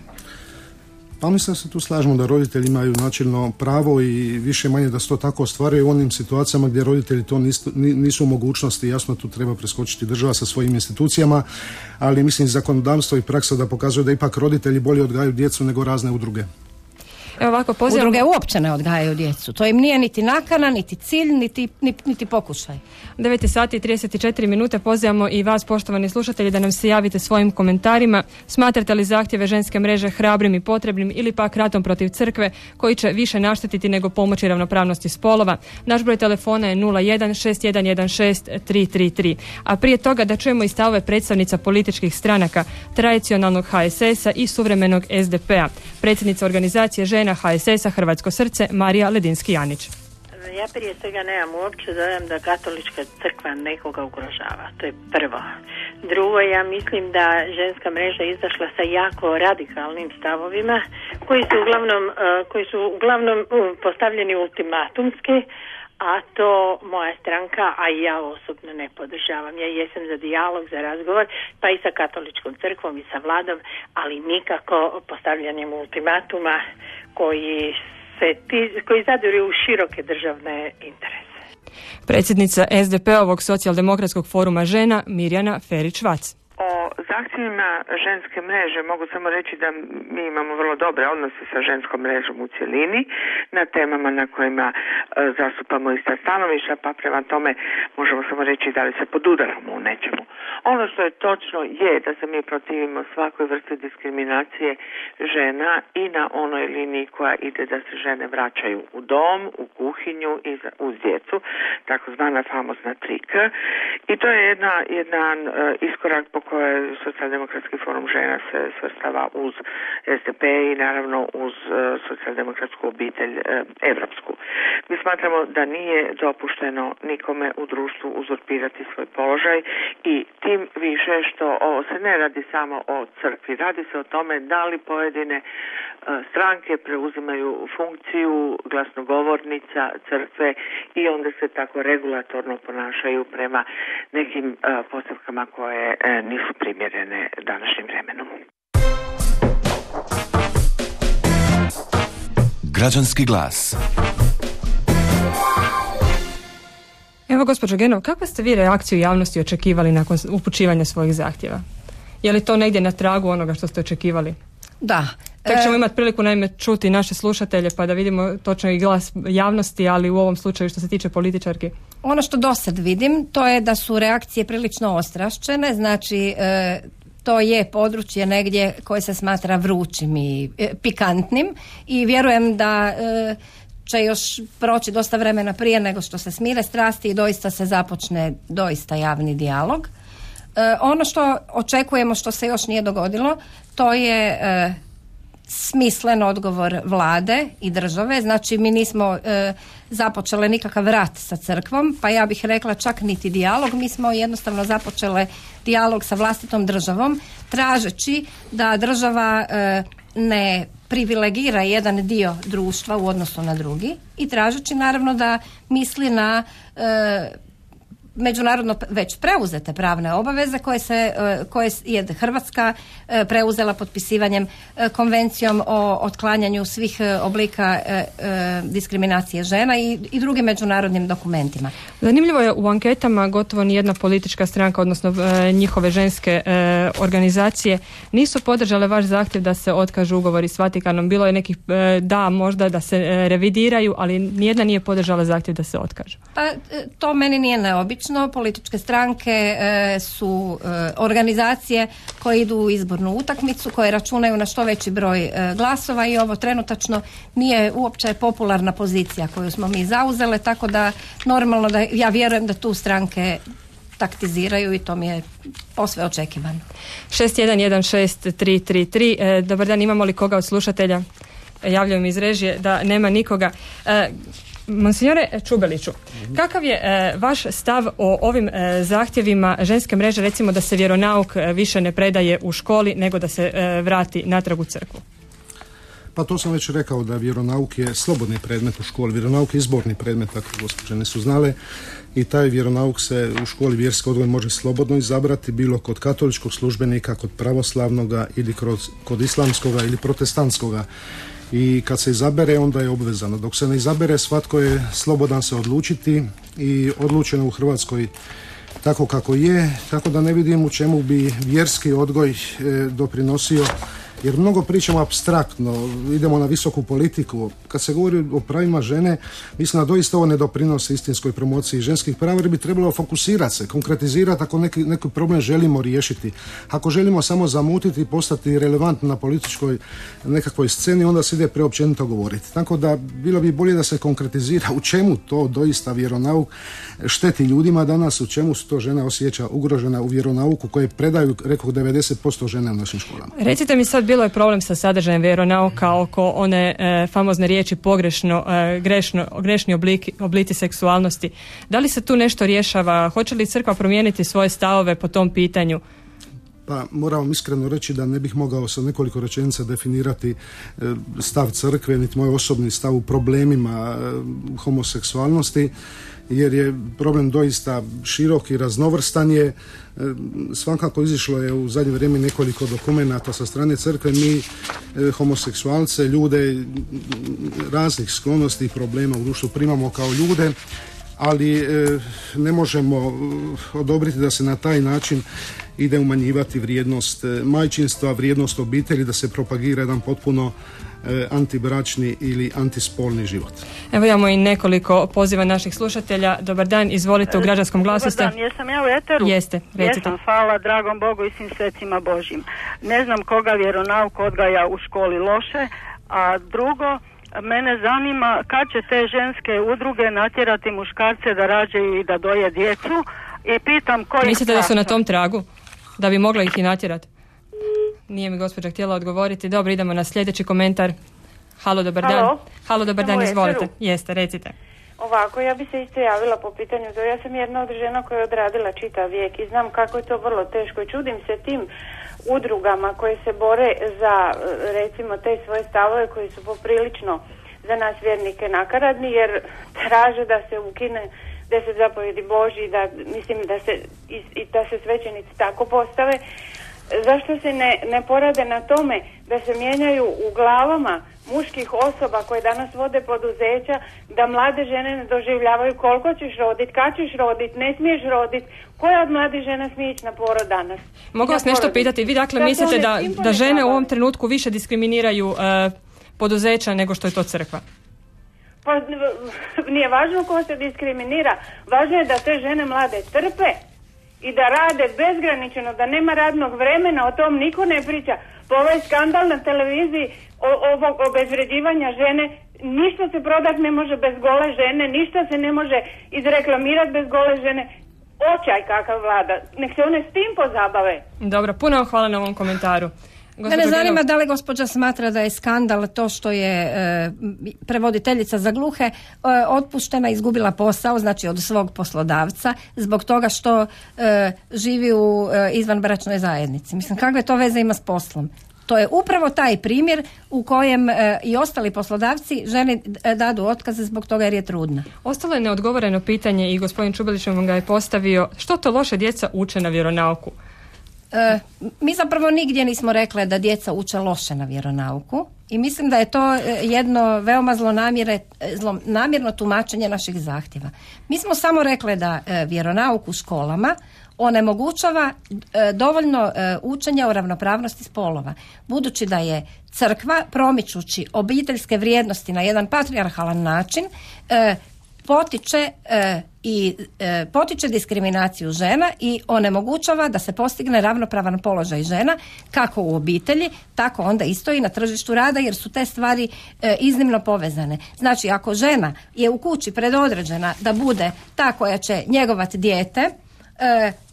Pa mislim da se tu slažemo da roditelji imaju načelno pravo i više manje da se to tako ostvaruje u onim situacijama gdje roditelji to nisu u mogućnosti. Jasno, tu treba preskočiti država sa svojim institucijama, ali mislim zakonodavstvo i praksa da pokazuje da ipak roditelji bolje odgajaju djecu nego razne udruge. Evo ovako, udruge uopće ne odgajaju djecu. To im nije niti nakana, niti cilj, niti pokušaj. 9:34. Pozivamo i vas, poštovani slušatelji, da nam se javite svojim komentarima. Smatrate li zahtjeve ženske mreže hrabrim i potrebnim ili pak ratom protiv crkve koji će više naštetiti nego pomoći ravnopravnosti spolova? Naš broj telefona je 01-6116-333. A prije toga da čujemo i stavove predstavnica političkih stranaka, tradicionalnog HSS-a i suvremenog SDP-a. Predsjednica organizacije žena HSS-a Hrvatsko srce, Marija Ledinski-Janić. Ja prije svega nemam uopće dojam da katolička crkva nekoga ugrožava. To je prvo. Drugo, ja mislim da ženska mreža izašla sa jako radikalnim stavovima koji su uglavnom postavljeni ultimatumski, a to moja stranka, a i ja osobno ne podržavam. Ja jesam za dijalog, za razgovor, pa i sa katoličkom crkvom i sa vladom, ali nikako postavljanjem ultimatuma koji zadiru u široke državne interese. Predsjednica SDP-ovog socijaldemokratskog foruma žena Mirjana Ferić-Vac. O zahtjevima ženske mreže mogu samo reći da mi imamo vrlo dobre odnose sa ženskom mrežom u cjelini na temama na kojima zastupamo ista stanovišta, pa prema tome možemo samo reći da li se podudaramo u nečemu. Ono što je točno je da se mi protivimo svakoj vrsti diskriminacije žena i na onoj liniji koja ide da se žene vraćaju u dom, u kuhinju i uz djecu, takozvana famozna 3K. I to je jedan iskorak po kojoj Socijaldemokratski forum žena se svrstava uz SDP i naravno uz socijaldemokratsku obitelj evropsku. Mi smatramo da nije dopušteno nikome u društvu uzurpirati svoj položaj i tim više što ovo se ne radi samo o crkvi, radi se o tome da li pojedine stranke preuzimaju funkciju glasnogovornica crkve i onda se tako regulatorno ponašaju prema nekim postavkama koje nisu primjerene današnjim vremenom. Građanski glas. Evo, gospođo Genov, kakvu ste vi reakciju javnosti očekivali nakon upućivanja svojih zahtjeva? Je li to negdje na tragu onoga što ste očekivali? Da. Tek ćemo imati priliku naime čuti naše slušatelje pa da vidimo točno i glas javnosti, ali u ovom slučaju što se tiče političarki. Ono što dosad vidim, to je da su reakcije prilično ostrašćene, znači to je područje negdje koje se smatra vrućim i pikantnim i vjerujem da će još proći dosta vremena prije nego što se smire strasti i doista se započne doista javni dijalog. Ono što očekujemo, što se još nije dogodilo, to je smislen odgovor vlade i države. Znači mi nismo započele nikakav rat sa crkvom, pa ja bih rekla čak niti dijalog. Mi smo jednostavno započele dijalog sa vlastitom državom, tražeći da država ne privilegira jedan dio društva u odnosu na drugi i tražeći naravno da misli na međunarodno već preuzete pravne obaveze koje je Hrvatska preuzela potpisivanjem konvencijom o otklanjanju svih oblika diskriminacije žena i drugim međunarodnim dokumentima. Zanimljivo je, u anketama gotovo nijedna politička stranka, odnosno njihove ženske organizacije nisu podržale vaš zahtjev da se otkažu ugovori s Vatikanom. Bilo je nekih možda da se revidiraju, ali nijedna nije podržala zahtjev da se otkažu. Pa to meni nije neobično. Političke stranke su organizacije koje idu u izbornu utakmicu, koje računaju na što veći broj glasova i ovo trenutačno nije uopće popularna pozicija koju smo mi zauzele, tako da normalno da ja vjerujem da tu stranke taktiziraju i to mi je posve očekivano. 611633. Dobar dan, imamo li koga od slušatelja? Javljaju mi iz režije da nema nikoga. Monsignore Čubeliću, kakav je vaš stav o ovim zahtjevima ženske mreže, recimo da se vjeronauk više ne predaje u školi nego da se vrati natrag u crkvu? Pa to sam već rekao da vjeronauk je slobodni predmet u školi. Vjeronauk je izborni predmet, ako gospođe nisu znale, i taj vjeronauk se u školi vjerski odgoj može slobodno izabrati, bilo kod katoličkog službenika, kod pravoslavnoga ili kod islamskoga ili protestantskoga. I kad se izabere, onda je obvezano. Dok se ne izabere, svatko je slobodan se odlučiti i odlučeno u Hrvatskoj tako kako je, tako da ne vidim u čemu bi vjerski odgoj doprinosio, jer mnogo pričamo apstraktno, idemo na visoku politiku. Kad se govori o pravima žene, mislim da doista ovo ne doprinosi istinskoj promociji ženskih prava, jer bi trebalo fokusirati se, konkretizirati ako neki problem želimo riješiti. Ako želimo samo zamutiti i postati relevantni na političkoj nekakvoj sceni, onda se ide preopćenito govoriti. Tako da bilo bi bolje da se konkretizira u čemu to doista vjeronauk šteti ljudima danas, u čemu se to žena osjeća ugrožena u vjeronauku koje predaju, rekao, 90% žena u našim školama. Recite mi sad, bilo je problem sa sadržajem vjeronauka oko one famozne riječi pogrešno, grešni oblici seksualnosti. Da li se tu nešto rješava? Hoće li crkva promijeniti svoje stavove po tom pitanju? Pa moram vam iskreno reći da ne bih mogao sa nekoliko rečenica definirati stav crkve, niti moj osobni stav u problemima homoseksualnosti, jer je problem doista širok i raznovrstan je. Svakako izišlo je u zadnje vrijeme nekoliko dokumenata sa strane crkve. Mi homoseksualce, ljude raznih sklonosti i problema u društvu primamo kao ljude, ali ne možemo odobriti da se na taj način ide umanjivati vrijednost majčinstva, vrijednost obitelji, da se propagira jedan potpuno antibračni ili antispolni život. Evo imamo i nekoliko poziva naših slušatelja. Dobar dan, izvolite, u Građanskom glasu ste. Dobar dan, jesam ja u eteru? Jeste, recite. Jesam, hvala dragom Bogu i svim svecima Božjim. Ne znam koga vjeronauk odgaja u školi loše, a drugo, mene zanima kad će te ženske udruge natjerati muškarce da rađaju i da doje djecu i pitam koji... Mislite da su na tom tragu? Da bi mogla ih i natjerati? Nije mi gospođa htjela odgovoriti. Dobro, idemo na sljedeći komentar. Halo, dobar dan. Halo, dobar dan, izvolite. Jeste, recite. Ovako, ja bi se isto javila po pitanju toga. Ja sam jedna od žena koja je odradila čitav vijek i znam kako je to vrlo teško i čudim se tim udrugama koje se bore za, recimo, te svoje stavove koji su poprilično za nas vjernike nakaradni, jer traže da se ukine 10 zapovjedi Božji, da, mislim da se svećenici tako postave. Zašto se ne porade na tome da se mijenjaju u glavama muških osoba koje danas vode poduzeća, da mlade žene ne doživljavaju koliko ćeš roditi, kad ćeš roditi, ne smiješ roditi, koja od mladih žena smije ići na porod danas? Mogu vas nešto pitati? Vi dakle mislite da žene u ovom trenutku više diskriminiraju poduzeća nego što je to crkva? Pa nije važno ko se diskriminira, važno je da te žene mlade trpe i da rade bezgraničeno, da nema radnog vremena, o tom niko ne priča. Po ovaj skandal na televiziji ovog obezvređivanja žene, ništa se prodat ne može bez gole žene, ništa se ne može izreklamirati bez gole žene. Očaj kakav vlada, nek se one s tim pozabave. Dobro, puno vam hvala na ovom komentaru. Mene zanima da li gospođa smatra da je skandal to što je prevoditeljica za gluhe otpuštena, izgubila posao, znači od svog poslodavca, zbog toga što živi u izvanbračnoj zajednici. Mislim, kakve to veze ima s poslom? To je upravo taj primjer u kojem i ostali poslodavci ženi dadu otkaze zbog toga jer je trudna. Ostalo je neodgovoreno pitanje i gospodin Čubelić vam ga je postavio. Što to loše djeca uče na vjeronauku? Mi zapravo nigdje nismo rekle da djeca uče loše na vjeronauku i mislim da je to jedno veoma zlonamjerno tumačenje naših zahtjeva. Mi smo samo rekle da vjeronauk u školama onemogućava dovoljno učenja o ravnopravnosti spolova. Budući da je crkva, promičući obiteljske vrijednosti na jedan patrijarhalan način, potiče diskriminaciju žena i onemogućava da se postigne ravnopravan položaj žena kako u obitelji, tako onda isto i na tržištu rada, jer su te stvari iznimno povezane. Znači, ako žena je u kući predodređena da bude ta koja će njegovati dijete,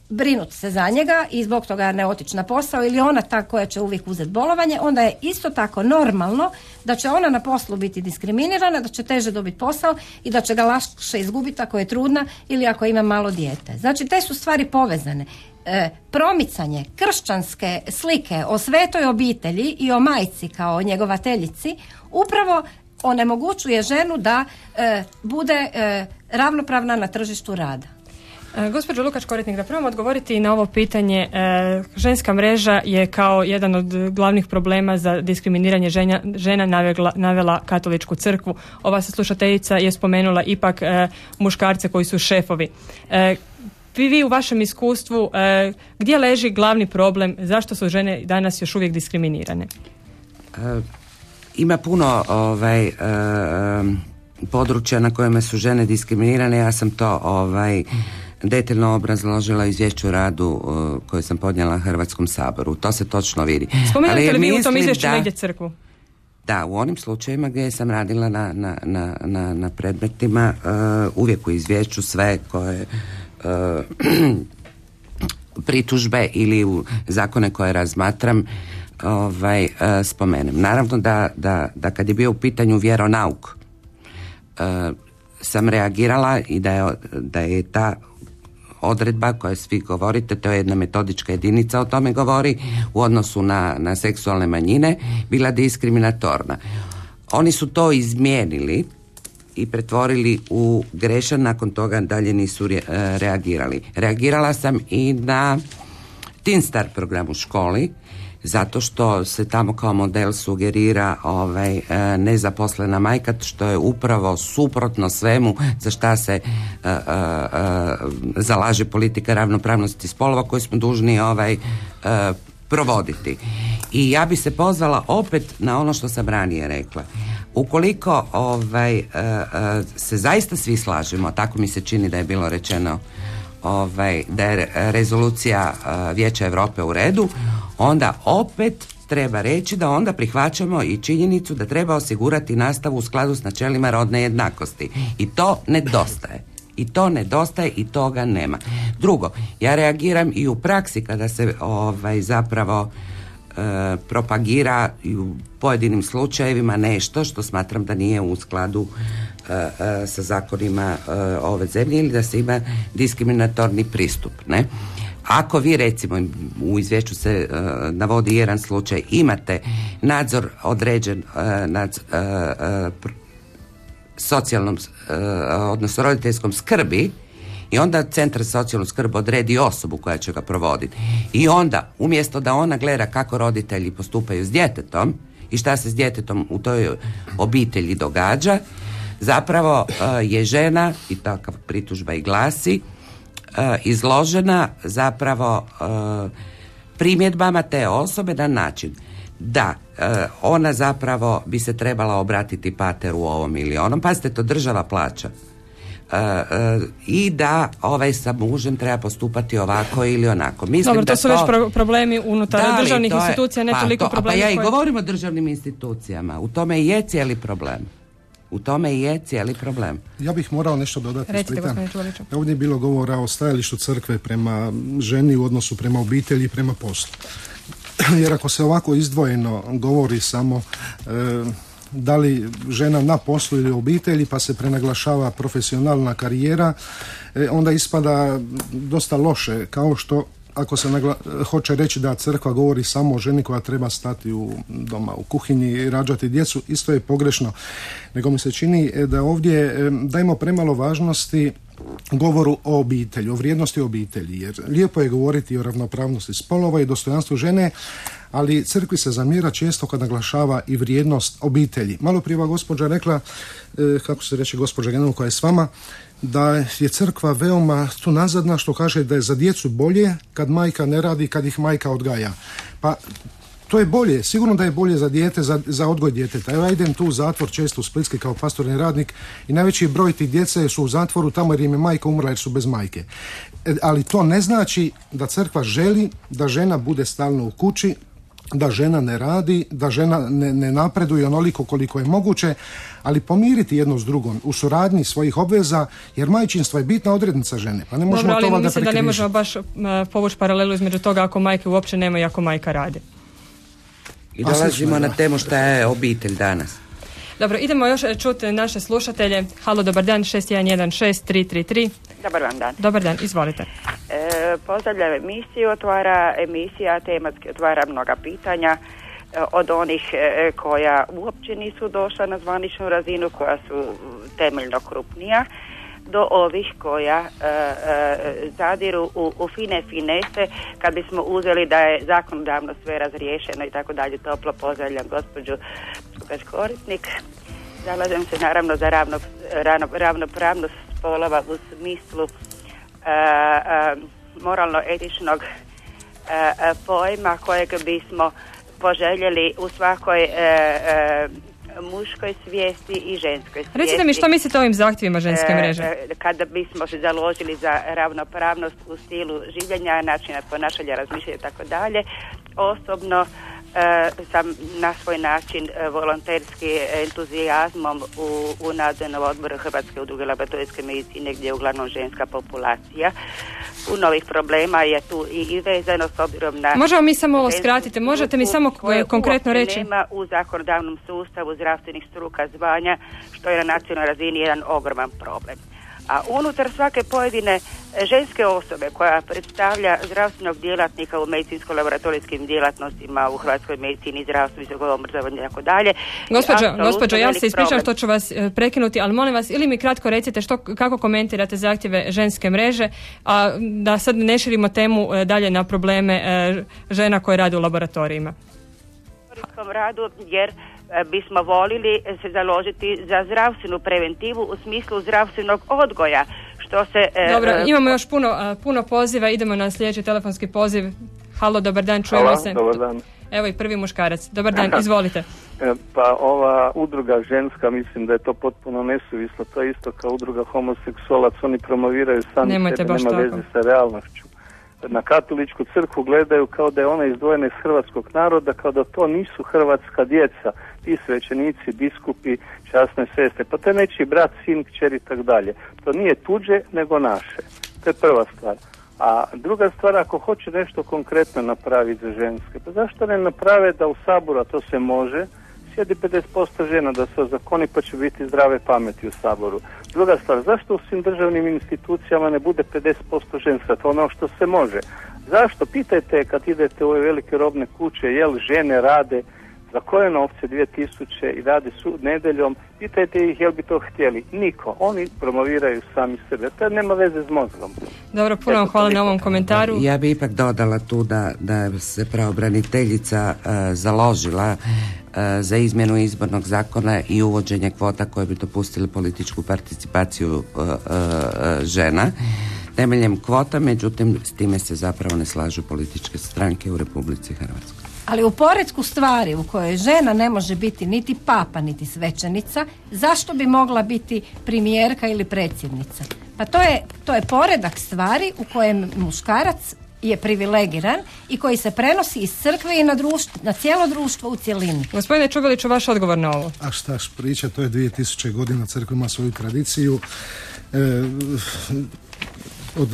brinuti se za njega i zbog toga ne otići na posao, ili ona ta koja će uvijek uzeti bolovanje, onda je isto tako normalno da će ona na poslu biti diskriminirana, da će teže dobiti posao i da će ga lakše izgubiti ako je trudna ili ako ima malo dijete. Znači, te su stvari povezane. Promicanje kršćanske slike o svetoj obitelji i o majci kao njegovateljici upravo onemogućuje ženu da bude ravnopravna na tržištu rada. Gospođo Lukač-Koritnik, da probamo odgovoriti na ovo pitanje. Ženska mreža je kao jedan od glavnih problema za diskriminiranje žena navela Katoličku crkvu. Ova slušateljica je spomenula ipak muškarce koji su šefovi. Vi u vašem iskustvu, gdje leži glavni problem? Zašto su žene danas još uvijek diskriminirane? Ima puno područja na kojima su žene diskriminirane. Ja sam to detaljno obrazložila izvješću o radu koju sam podnijela Hrvatskom saboru. To se točno vidi. Spomenuli li vi u tom izvješću negdje crkvu? Da, u onim slučajevima gdje sam radila na predmetima, uvijek u izvješću sve koje pritužbe ili u zakone koje razmatram spomenem. Naravno da kad je bio u pitanju vjeronauk, sam reagirala i da je ta odredba koja svi govorite, to je jedna metodička jedinica o tome govori, u odnosu na seksualne manjine, bila diskriminatorna. Oni su to izmijenili i pretvorili u grešan, nakon toga dalje nisu reagirali. Reagirala sam i na Teen Star program u školi, zato što se tamo kao model sugerira nezaposlena majka, što je upravo suprotno svemu za šta se zalaže politika ravnopravnosti spolova koju smo dužni provoditi. I ja bi se pozvala opet na ono što sam ranije rekla. Ukoliko se zaista svi slažemo, tako mi se čini da je bilo rečeno, da je rezolucija Vijeća Europe u redu, onda opet treba reći da onda prihvaćamo i činjenicu da treba osigurati nastavu u skladu s načelima rodne jednakosti. I to nedostaje i toga nema. Drugo, ja reagiram i u praksi kada se zapravo propagira i u pojedinim slučajevima nešto što smatram da nije u skladu sa zakonima ove zemlje ili da se ima diskriminatorni pristup, ne? Ako vi recimo u izvješću se navodi jedan slučaj, imate nadzor određen nad socijalnom odnosno roditeljskom skrbi i onda centar za socijalnu skrb odredi osobu koja će ga provoditi i onda umjesto da ona gleda kako roditelji postupaju s djetetom i šta se s djetetom u toj obitelji događa, zapravo je žena, i takav pritužba i glasi, izložena zapravo primjedbama te osobe na način da ona zapravo bi se trebala obratiti pateru ovom ili onom, pazite, to država plaća, i da sa mužem treba postupati ovako ili onako. Mislim dobro, to su već problemi unutar državnih institucija, ne toliko problemi. Pa ja i govorim o državnim institucijama, u tome i je cijeli problem. Ja bih morao nešto dodati. Recite, gospodine Čuliću. Ovdje je bilo govora o stajalištu crkve prema ženi u odnosu prema obitelji i prema poslu. Jer ako se ovako izdvojeno govori samo da li žena na poslu ili obitelji, pa se prenaglašava profesionalna karijera, onda ispada dosta loše, kao što ako se hoće reći da crkva govori samo o ženi koja treba stati doma u kuhinji i rađati djecu, isto je pogrešno. Nego mi se čini da ovdje dajemo premalo važnosti govoru o obitelji, o vrijednosti obitelji, jer lijepo je govoriti o ravnopravnosti spolova i dostojanstvu žene, ali crkvi se zamjera često kad naglašava i vrijednost obitelji. Malo prije gospođa rekla, kako se reče gospođa Genova koja je s vama, da je crkva veoma tu nazadna, što kaže da je za djecu bolje kad majka ne radi, kad ih majka odgaja. Pa to je bolje, sigurno da je bolje za dijete, za odgoj djeteta. Evo ja idem tu u zatvor često u Splitski kao pastorni radnik i najveći broj tih djece su u zatvoru tamo jer im je majka umrla jer su bez majke. Ali to ne znači da crkva želi da žena bude stalno u kući, da žena ne radi, da žena ne napreduje onoliko koliko je moguće, ali pomiriti jedno s drugom u suradnji svojih obveza, jer majčinstvo je bitna odrednica žene. Pa ne možemo to da prekrižiti. Mislim da ne možemo baš povući paralelu između toga ako majke uopće nema i ako majka radi. I dolazimo na temu šta je obitelj danas. Dobro, idemo još čuti naše slušatelje. Halo, dobar dan, 6116-333. Dobar vam dan. Dobar dan, izvolite. Pozdravljam emisiju, emisija tematski otvara mnoga pitanja, od onih koja uopće nisu došla na zvaničnu razinu, koja su temeljno krupnija, do ovih koja zadiru u fine finese, kad bismo uzeli da je zakonodavno sve razriješeno i tako dalje. Toplo pozdravljam gospođu korisnik. Zalažem se naravno za ravnopravnost spolova u smislu moralno-etičnog pojma kojeg bismo poželjeli u svakoj muškoj svijesti i ženskoj svijesti. Recite mi što mislite o ovim zahtjevima ženske mreže? Kada bismo se založili za ravnopravnost u stilu življenja, načina ponašanja, razmišljanja i tako dalje, osobno sam na svoj način volonterski entuzijazmom u nadzornom odboru Hrvatske udruge laboratorijske medicine, gdje je uglavnom ženska populacija. U novih problema je tu i vezano s obzirom na... Možemo mi samo ovo skratiti, možete mi samo konkretno reći? Nema u zakonodavnom sustavu zdravstvenih struka zvanja, što je na nacionalnoj razini jedan ogroman problem. A unutar svake pojedine ženske osobe koja predstavlja zdravstvenog djelatnika u medicinsko-laboratorijskim djelatnostima u hrvatskoj medicini, zdravstvu, visokom obrazovanju i tako dalje. Gospođo, ja se ispričavam što ću vas prekinuti, ali molim vas, ili mi kratko recite kako komentirate zahtjeve ženske mreže, a da sad ne širimo temu dalje na probleme žena koje rade u laboratorijima. U radu, jer bismo volili se založiti za zdravstvenu preventivu u smislu zdravstvenog odgoja, što se... Dobro, imamo još puno poziva, idemo na sljedeći telefonski poziv. Halo, dobar dan, čujemo se. Dobar dan. Evo i prvi muškarac. Dobar dan, izvolite. Pa ova udruga ženska, mislim da je to potpuno nesuvislo, to je isto kao udruga homoseksualac, oni promoviraju sami sebe, nema veze sa realnošću. Na katoličku crkvu gledaju kao da je ona izdvojena iz hrvatskog naroda, kao da to nisu hrvatska djeca, ti svećenici, biskupi, časne sestre, pa to je nečiji brat, sin, kćer i tak dalje. To nije tuđe, nego naše. To je prva stvar. A druga stvar, ako hoće nešto konkretno napraviti za ženske, pa zašto ne naprave da u Saboru, a to se može, sjedi 50% žena, da se ozakoni, pa će biti zdrave pameti u Saboru. Druga stvar, zašto u svim državnim institucijama ne bude 50% ženska, to ono što se može? Zašto? Pitajte kad idete u ove velike robne kuće, jel žene rade za koje novce 2000 i rade nedjeljom, pitajte ih jel bi to htjeli. Niko. Oni promoviraju sami sebe. To nema veze s mozgom. Dobro, puno vam hvala na ovom komentaru. Ja bi ipak dodala tu da se pravobraniteljica založila za izmjenu izbornog zakona i uvođenje kvota koje bi dopustile političku participaciju žena temeljem kvota, međutim s time se zapravo ne slažu političke stranke u Republici Hrvatskoj. Ali u poretku stvari u kojoj žena ne može biti niti papa, niti svećenica, zašto bi mogla biti premijerka ili predsjednica? Pa to je poredak stvari u kojem muškarac je privilegiran i koji se prenosi iz crkve i na cijelo društvo u cjelini. Gospodine Čubeliću, vaš odgovor na ovo? A šta priča, to je 2000 godina, crkva ima svoju tradiciju. Od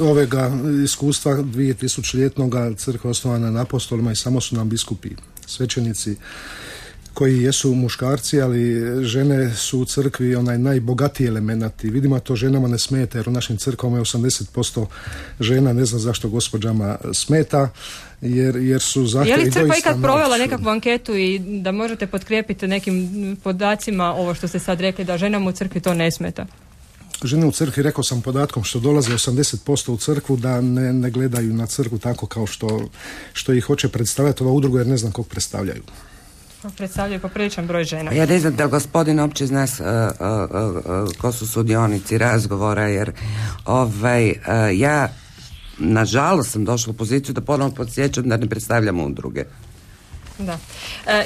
ovega iskustva 2000-ljetnoga crkva osnovana na apostolima i samo su nam biskupi, svećenici koji jesu muškarci, ali žene su u crkvi onaj najbogatiji element. Vidimo to ženama ne smeta, jer u našim crkvama je 80% žena, ne znam zašto gospođama smeta, jer su zahtjevi doista... Je li crkva ikad provela nekakvu anketu i da možete potkrijepiti nekim podacima ovo što ste sad rekli, da ženama u crkvi to ne smeta? Žene u crkvi, rekao sam podatkom, što dolaze 80% u crkvu, da ne gledaju na crkvu tako kao što ih hoće predstavljati ova udruga, jer ne znam kog predstavljaju. Predstavljaju popriličan broj žena. Ja ne znam da gospodin opće zna ko su sudionici razgovora, jer ja nažalost sam došla u poziciju da ponovno podsjećam da ne predstavljam udruge. Da.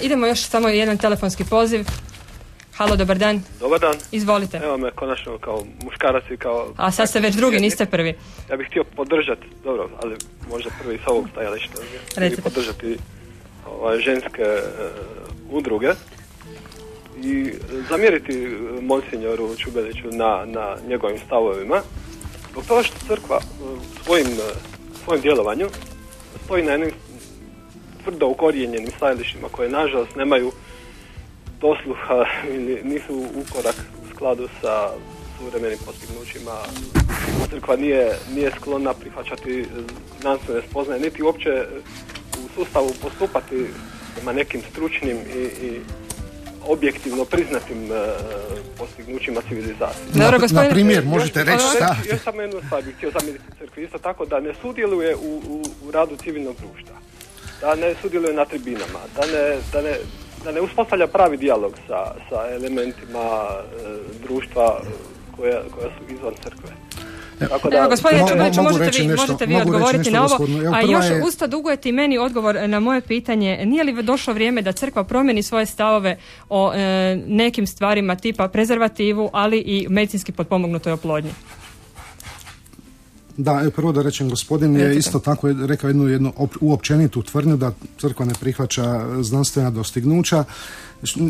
Idemo još samo jedan telefonski poziv. Halo, dobar dan. Dobar dan. Izvolite. Evo me konačno kao muškarac i kao... A sad ste već drugi, niste prvi. Ja bih htio podržati, dobro, ali možda prvi s ovog stajališta. Recite. Podržati ženske udruge i zamjeriti monsinjoru Čubeliću na njegovim stavovima. Zbog toga što crkva svojim djelovanju stoji na jednim tvrdo ukorijenjenim stajalištima koje nažalost nemaju dosluha ili nisu u korak u skladu sa suvremenim postignućima. Crkva nije sklona prihvaćati znanstvene spoznaje, niti uopće u sustavu postupati prema nekim stručnim i objektivno priznatim postignućima civilizacije. Na primjer, možete reći šta? Još samo jednu stvar bih htio zamjeriti crkvi, isto tako da ne sudjeluje u radu civilnog društva, da ne sudjeluje na tribinama, da ne uspostavlja pravi dijalog sa elementima društva koja su izvan crkve. Evo, gospodine Čubeliću, možete vi odgovoriti na ovo, a još usto dugujete i meni odgovor na moje pitanje. Nije li došlo vrijeme da crkva promijeni svoje stavove o nekim stvarima tipa prezervativu, ali i medicinski potpomognutoj oplodnji? Da, prvo da rečem, gospodin je isto tako rekao jednu uopćenitu tvrdnju da crkva ne prihvaća znanstvena dostignuća,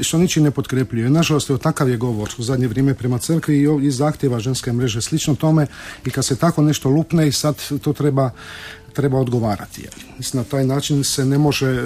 što ničim ne potkrepljuje. Nažalost, takav je govor u zadnje vrijeme prema crkvi i zahtjeva ženske mreže slično tome, i kad se tako nešto lupne i sad to treba odgovarati. Mislim, na taj način se ne može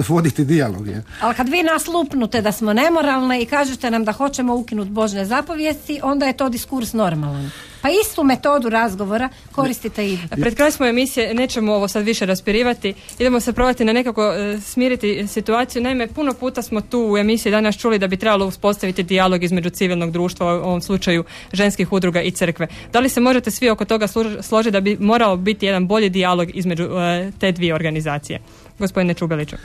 voditi dijalog. Ali kad vi nas lupnute da smo nemoralne i kažete nam da hoćemo ukinuti Božne zapovijesti, onda je to diskurs normalan. Pa istu metodu razgovora koristite i vi. Pred kraj smo emisije, nećemo ovo sad više raspirivati, idemo se probati na nekako smiriti situaciju. Naime, puno puta smo tu u emisiji danas čuli da bi trebalo uspostaviti dijalog između civilnog društva, u ovom slučaju ženskih udruga i crkve. Da li se možete svi oko toga složiti da bi morao biti jedan bolji dijalog između te dvije organizacije? Gospodine Čubeliću.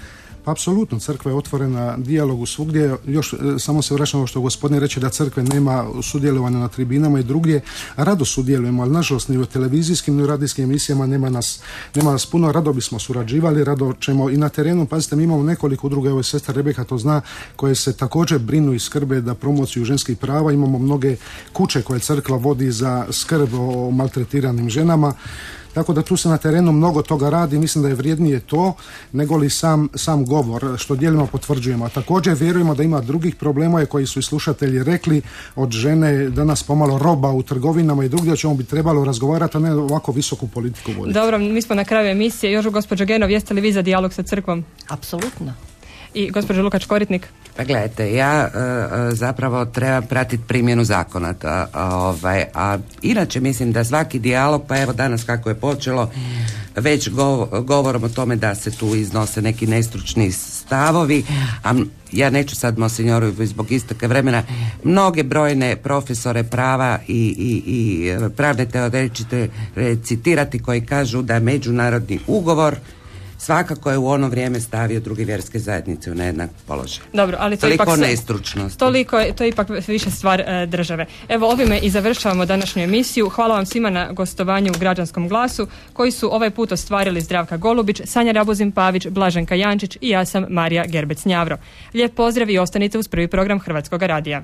Apsolutno, crkva je otvorena dijalogu svugdje. Još samo se vraćamo što gospodin reče da crkve nema sudjelovanja na tribinama i drugdje. Rado sudjelujemo, ali nažalost ni u televizijskim ni u radijskim emisijama nema nas puno. Rado bismo surađivali, rado ćemo i na terenu. Pazite, mi imamo nekoliko udruga, evo i sestra Rebeka to zna, koje se također brinu i skrbe da promociju ženskih prava. Imamo mnoge kuće koje crkva vodi za skrb o maltretiranim ženama. Tako da tu se na terenu mnogo toga radi, mislim da je vrijednije to nego li sam govor, što dijelimo potvrđujemo. A također vjerujemo da ima drugih problema koji su i slušatelji rekli, od žene danas pomalo roba u trgovinama i drugdje, o čemu bi trebalo razgovarati, a ne ovako visoku politiku voditi. Dobro, mi smo na kraju emisije. Još gospođo Genov, jeste li vi za dijalog sa crkvom? Apsolutno. I gospođo Lukač Koritnik? Pa gledajte, ja zapravo trebam pratiti primjenu zakona, a inače mislim da svaki dijalog, pa evo danas kako je počelo, već govorom o tome da se tu iznose neki nestručni stavovi, a ja neću sad monsinjoru zbog isteka vremena, mnoge brojne profesore prava i pravne teoretike citirati koji kažu da međunarodni ugovor svakako je u ono vrijeme stavio druge vjerske zajednice u nejednak položaj. Dobro, ali to toliko ipak nestručnosti. To je ipak više stvar države. Evo, ovime i završavamo današnju emisiju. Hvala vam svima na gostovanju u Građanskom glasu, koji su ovaj put ostvarili Zdravka Golubić, Sanja Rabuzin-Pavić, Blaženka Jančić i ja sam Marija Gerbec-Njavro. Lijep pozdrav i ostanite uz prvi program Hrvatskog radija.